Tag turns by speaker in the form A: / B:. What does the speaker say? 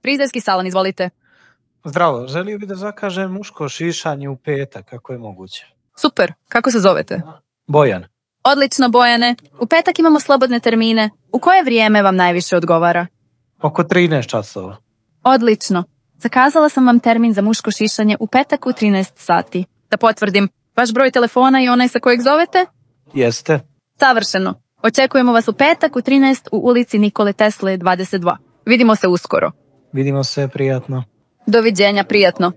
A: Frizerski salon, izvolite.
B: Zdravo, želio bi da zakažem muško šišanje u petak, kako je moguće.
A: Super, kako se zovete?
B: Bojan.
A: Odlično, Bojane. U petak imamo slobodne termine. U koje vrijeme vam najviše odgovara?
B: Oko 13 časova.
A: Odlično. Zakazala sam vam termin za muško šišanje u petak u 13 sati. Da potvrdim, vaš broj telefona i onaj sa kojeg zovete?
B: Jeste.
A: Savršeno. Očekujemo vas u petak u 13 u ulici Nikole Tesle 22. Vidimo se uskoro.
B: Vidimo se, prijatno.
A: Doviđenja, prijatno.